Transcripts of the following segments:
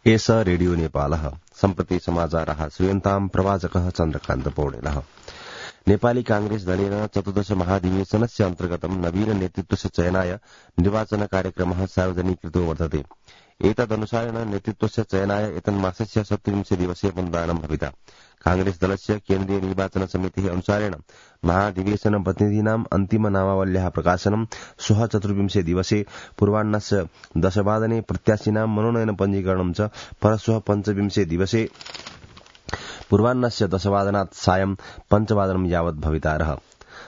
एष रेडियो नेपालः सम्प्रति समाचारः श्रूयन्ताम् प्रवाचकः चन्द्रकान्त पौडेलः। नेपाली कांग्रेस दलेन चतुर्दश महाधिवेशनस्य अन्तर्गतं नवीन नेतृत्वस्य चयनाय निर्वाचन कार्यक्रमः सार्वजनीकृतो वर्तते। एतदनुसारेण नेतृत्वस्य चयनाय एतन्मासस्य 27 दिवसे मतदानं भविता। कांग्रेस दलस्य केन्द्रीय निर्वाचन समितिः अनुसारेण महाधिवेशन प्रतिनिधीनाम् अन्तिम नामावल्याः प्रकाशनं श्वः 24 दिवसे पूर्वाह्नस्य 10 वादने प्रत्याशिनां मनोनयन पञ्जीकरणं च परश्वः 25 दिवसे पूर्वाह्नस्य 10 वादनात् सायं 5 वादनं यावत् भवितारः।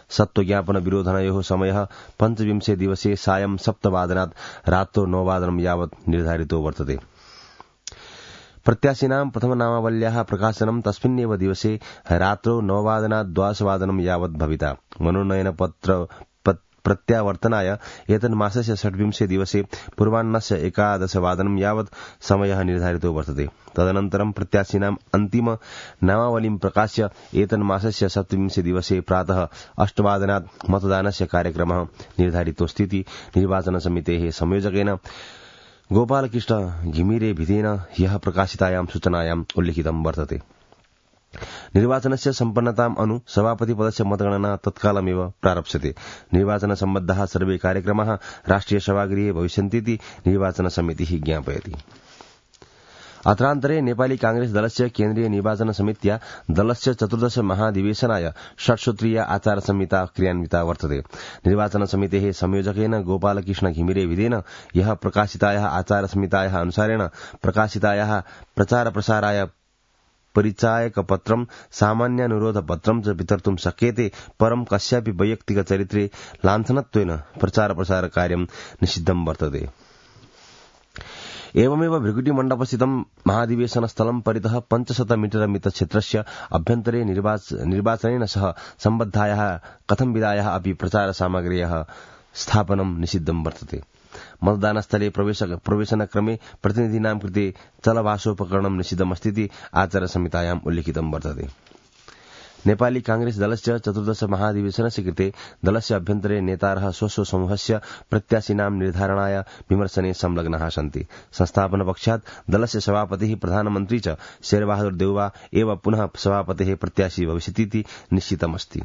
सत्त्वज्ञापन विरोधनयोः समयः 25 दिवसे सायं 7 वादनात् रात्रौ 9 वादनं यावत् निर्धारितो वर्तते। प्रत्याशिनां प्रथमनामावल्याः प्रकाशनं तस्मिन्नेव दिवसे रात्रौ 9 वादनात् 12 वादनं यावत् भविता। मनोनयन पत्र प्रत्यावर्तनाय एतन्मासस्य 26 दिवसे पूर्वाह्नस्य 11 वादनं यावत् समयः निर्धारितो वर्तते। तदनन्तरं प्रत्याशिनाम् अन्तिम नामावलीं प्रकाश्य एतन्मासस्य 27 दिवसे प्रातः 8 वादनात् मतदानस्य कार्यक्रमः निर्धारितोऽस्तीति निर्वाचन समितेः संयोजकेन गोपालकृष्ण घिमिरे भिदेन ह्यः प्रकाशितायां सूचनायाम् उल्लिखितं वर्तते। निर्वाचनस्य सम्पन्नताम् अनु सभापति पदस्य मतगणना तत्कालमेव प्रारप्स्यते। निर्वाचन सम्बद्धाः सर्वे कार्यक्रमाः राष्ट्रिय सभागृहे भविष्यन्तीति निर्वाचन समितिः ज्ञापयति। अत्रान्तरे नेपाली कांग्रेस दलस्य केन्द्रीय निर्वाचन समित्या दलस्य चतुर्दश महाधिवेशनाय षट्सूत्रीय आचार संहिता क्रियान्विता वर्तते। निर्वाचन समितेः संयोजकेन गोपालकृष्ण घिमिरे भिदेन यः प्रकाशितायाः आचार संहितायाः अनुसारेण प्रकाशितायाः प्रचार प्रसाराय परिचायकपत्रं सामान्यानुरोधपत्रं च वितर्तुं शक्यते, परं कस्यापि वैयक्तिकचरित्रे लाञ्छनत्वेन प्रचार प्रसार कार्यं निषिद्धं वर्तते। एवमेव भृगुटिमण्डपस्थितं महाधिवेशनस्थलं परितः 500 मीटर मितक्षेत्रस्य अभ्यन्तरे निर्वाचनेन सह सम्बद्धायाः कथंविधायाः अपि प्रचार सामग्र्याः स्थापनं निषिद्धं वर्तते। मतदानस्थले प्रवेशनक्रमे प्रतिनिधीनां कृते चलभाषोपकरणं निषिद्धमस्तीति आचार संहितायाम् उल्लिखितं वर्तते। नेपाली कांग्रेस दलस्य चतुर्दश महाधिवेशनस्य कृते दलस्य अभ्यन्तरे नेतारः स्वस्व समूहस्य प्रत्याशिनां निर्धारणाय विमर्शने संलग्नाः सन्ति। संस्थापनपक्षात् दलस्य सभापतिः प्रधानमन्त्री च शेरबहादुर देउवा एव पुनः सभापतेः प्रत्याशी भविष्यतीति निश्चितमस्ति।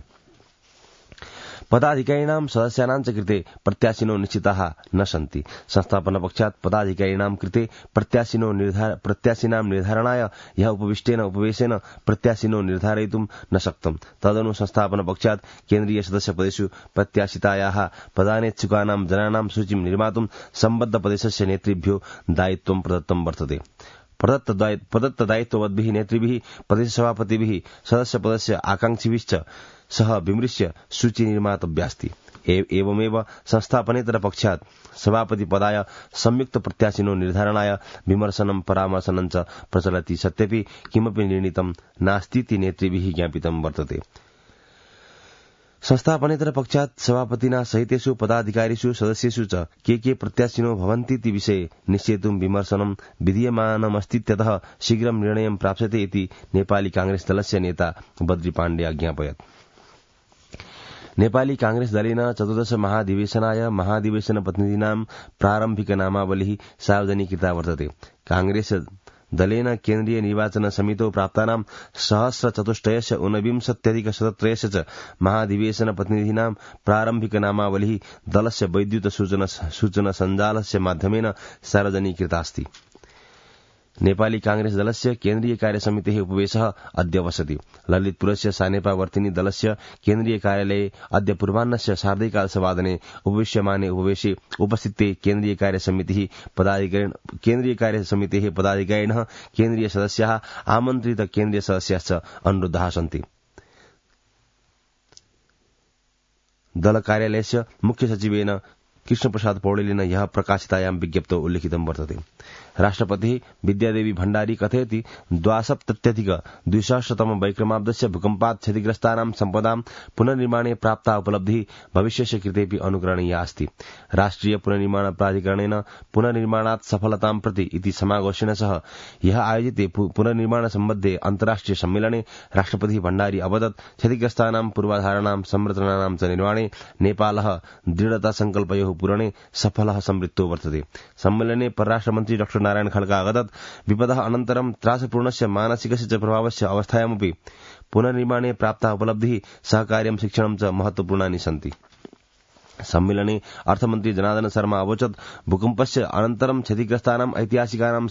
पदाधिकारिणां सदस्यानां च कृते प्रत्याशिनो निश्चिताः न सन्ति। संस्थापनपक्षात् पदाधिकारिणां कृते प्रत्याशिनां निर्धारणाय यः उपविष्टेन उपवेशेन प्रत्याशिनो निर्धारयितुं न शक्तम्। तदनु संस्थापनपक्षात् केन्द्रीय सदस्यपदेषु प्रत्याशितायाः पदानेच्छुकानां जनानां सूचीं निर्मातुं सम्बद्ध प्रदेशस्य नेतृभ्यो दायित्वं प्रदत्तं वर्तते। प्रदत्त दायित्ववद्भिः नेतृभिः प्रदेशसभापतिभिः सदस्यपदस्य आकांक्षिभिश्च सह विमृश्य सूची निर्मातव्यास्ति। एवमेव संस्थापनेतर पक्षात् सभापति पदाय संयुक्त प्रत्याशिनो निर्धारणाय विमर्शनं परामर्शनं च प्रचलति सत्यपि किमपि निर्णीतं नास्तीति नेतृभिः ज्ञापितं वर्तते। संस्थापनेतर पक्षात् सभापतिना सहितेषु पदाधिकारिषु सदस्येषु च के प्रत्याशिनो भवन्तीति विषये निश्चेतुं विमर्शनं विधीयमानमस्तीत्यतः शीघ्रं निर्णयं प्राप्स्यते इति नेपाली कांग्रेस दलस्य नेता बद्री पाण्डे अज्ञापयत्। नेपाली कांग्रेस दलेन चतुर्दश महाधिवेशनाय महाधिवेशन प्रतिनिधीनां प्रारम्भिक नामावलिः सार्वजनीकृता वर्तते। कांग्रेस दलेन केन्द्रीय निर्वाचन समितौ प्राप्तानां 1423 च महाधिवेशन प्रतिनिधीनां प्रारम्भिक नामावलिः दलस्य वैद्युत सूचना सञ्जालस्य माध्यमेन सार्वजनीकृतास्ति। नेपाली कांग्रेस दलस्य केन्द्रीय कार्यसमितेः उपवेशः अद्य वसति। ललितपुरस्य सानेपावर्तिनी दलस्य केन्द्रीय कार्यालये अद्य पूर्वाह्नस्य 11:30 उपविश्यमाने उपवेशे उपस्थिते केन्द्रीय कार्यसमितेः पदाधिकारिणः केन्द्रीय सदस्याः आमन्त्रित केन्द्रीय सदस्याश्च अनुरुद्धाः सन्ति। दल कार्यालयस्य मुख्य सचिवेन कृष्णप्रसाद पौडेलेन यः प्रकाशितायां विज्ञप्तौ उल्लिखितं वर्तते। राष्ट्रपतिः विद्यादेवी भण्डारी कथयति 72-द्विसहस्रतम वैक्रमाब्दस्य भूकम्पात् क्षतिग्रस्तानां सम्पदां पुनर्निर्माणे प्राप्ता उपलब्धिः भविष्यस्य कृतेऽपि अनुकरणीया अस्ति। राष्ट्रिय पुनर्निर्माण प्राधिकरणेन पुनर्निर्माणात् सफलतां प्रति इति समाघोषेण सह यः आयोजिते पुनर्निर्माण सम्बद्धे अन्तर्राष्ट्रिय सम्मेलने राष्ट्रपतिः भण्डारी अवदत् क्षतिग्रस्तानां पूर्वाधाराणां संरचनानां च निर्माणे नेपालः दृढता संकल्पयोः पूरणे सफलः संवृत्तो वर्तते। सम्मेलने परराष्ट्रमन्त्री डॉ नारायण खड्का अवदत् विपदः अनन्तरं त्रासपूर्णस्य मानसिकस्य च प्रभावस्य अवस्थायामपि पुनर्निर्माणे प्राप्ता उपलब्धिः सहकार्यं शिक्षणं च महत्वपूर्णानि सन्ति। सम्मेलने अर्थमन्त्री जनार्दन शर्मा अवोचत् भूकम्पस्य अनन्तरं क्षतिग्रस्तानां ऐतिहासिकानां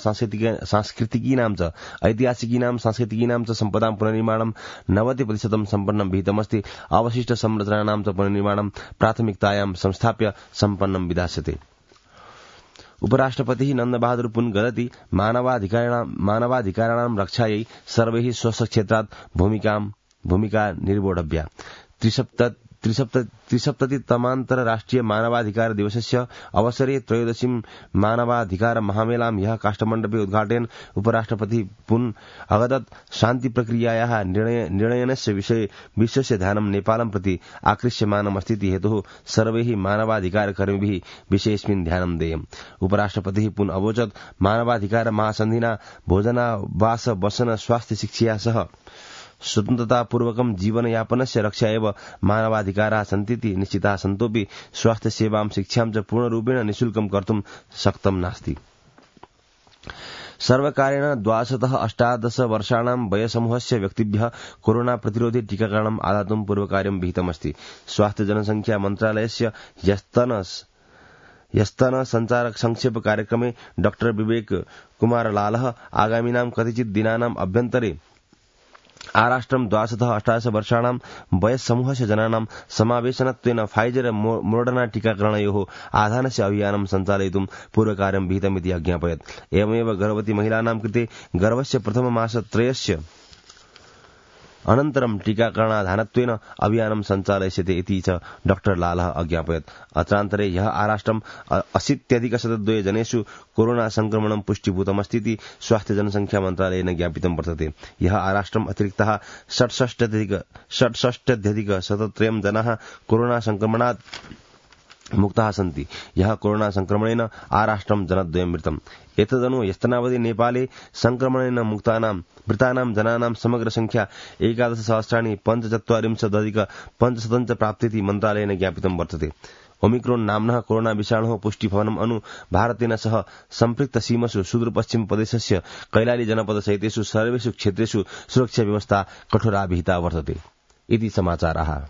सांस्कृतिकीनां च सम्पदां पुनर्निर्माणं 90% सम्पन्नं विहितमस्ति। अवशिष्ट संरचनानां च पुनर्निर्माणं प्राथमिकतायां संस्थाप्य सम्पन्नं विधास्यते। उपराष्ट्रपतिः नन्दबहादुर पुन वदति मानवाधिकाराणां रक्षायै सर्वैः स्वक्षेत्रात् भूमिका निर्वोढव्या। 73तमान्तरराष्ट्रिय मानवाधिकार दिवसस्य अवसरे 13 मानवाधिकार महामेलां ह्यः काष्ठमण्डपे उद्घाटयन् उपराष्ट्रपतिः पुन अवदत् शान्तिप्रक्रियायाः निर्णयनस्य विश्वस्य ध्यानं नेपालं प्रति आकृष्यमानमस्तीति हेतुः सर्वैः मानवाधिकारकर्मिभिः विषयेऽस्मिन् ध्यानं देयम्। उपराष्ट्रपतिः पुन अवोचत् मानवाधिकार महासन्धिना भोजनावास वसन स्वास्थ्य शिक्षया सह स्वतन्त्रतापूर्वकं जीवनयापनस्य रक्षा एव मानवाधिकाराः सन्तीति निश्चिताः सन्तोऽपि स्वास्थ्यसेवां शिक्षां च पूर्णरूपेण निःशुल्कं कर्तुं शक्तं नास्ति। सर्वकारेण 12-18 वर्षाणां वयसमूहस्य व्यक्तिभ्यः कोरोना प्रतिरोधि टीकाकरणम् आदातुं पूर्वकार्यं विहितमस्ति। स्वास्थ्य जनसंख्या मन्त्रालयस्य ह्यस्तन संचारक संक्षेप कार्यक्रमे डॉ विवेक कुमार लालः आगामिनां कतिचित् दिनानाम् अभ्यन्तरे आराष्ट्रं 12-18 वर्षाणां वयस्समूहस्य जनानां समावेशनत्वेन फाइजर मोडर्ना टीकाकरणयोः आधानस्य अभियानं सञ्चालयितुं पूर्वकार्यं विहितमिति अज्ञापयत्। एवमेव गर्भवती महिलानां कृते गर्भस्य प्रथममासत्रयस्य अनन्तरं टीकाकरणाधानत्वेन अभियानं सञ्चालयिष्यते इति च डॉ लालः अज्ञापयत्। अत्रान्तरे ह्यः आराष्ट्रं 80,102 जनेषु कोरोना संक्रमणं पुष्टिभूतमस्तीति स्वास्थ्य जनसंख्या मन्त्रालयेन ज्ञापितं वर्तते। ह्यः आराष्ट्रम् अतिरिक्तः 66,103 जनाः कोरोना संक्रमणात् मुक्ताः सन्ति। ह्यः कोरोना संक्रमणेन आराष्ट्रं जनद्वयं मृतम्। एतदनु ह्यस्तनावधि नेपाले संक्रमणेन मृतानां जनानां समग्र संख्या 11,75,45 प्राप्तिति मन्त्रालयेन ज्ञापितं वर्तते। ओमिक्रोन नाम्नः कोरोना विषाणोः पुष्टिफलनम् अनु भारतेन सह सम्पृक्त सीमसु सुदूरपश्चिम प्रदेशस्य कैलाली जनपद सहितेषु सर्वेषु क्षेत्रेषु सुरक्षा व्यवस्था कठोरा विहिता वर्तते इति समाचाराः।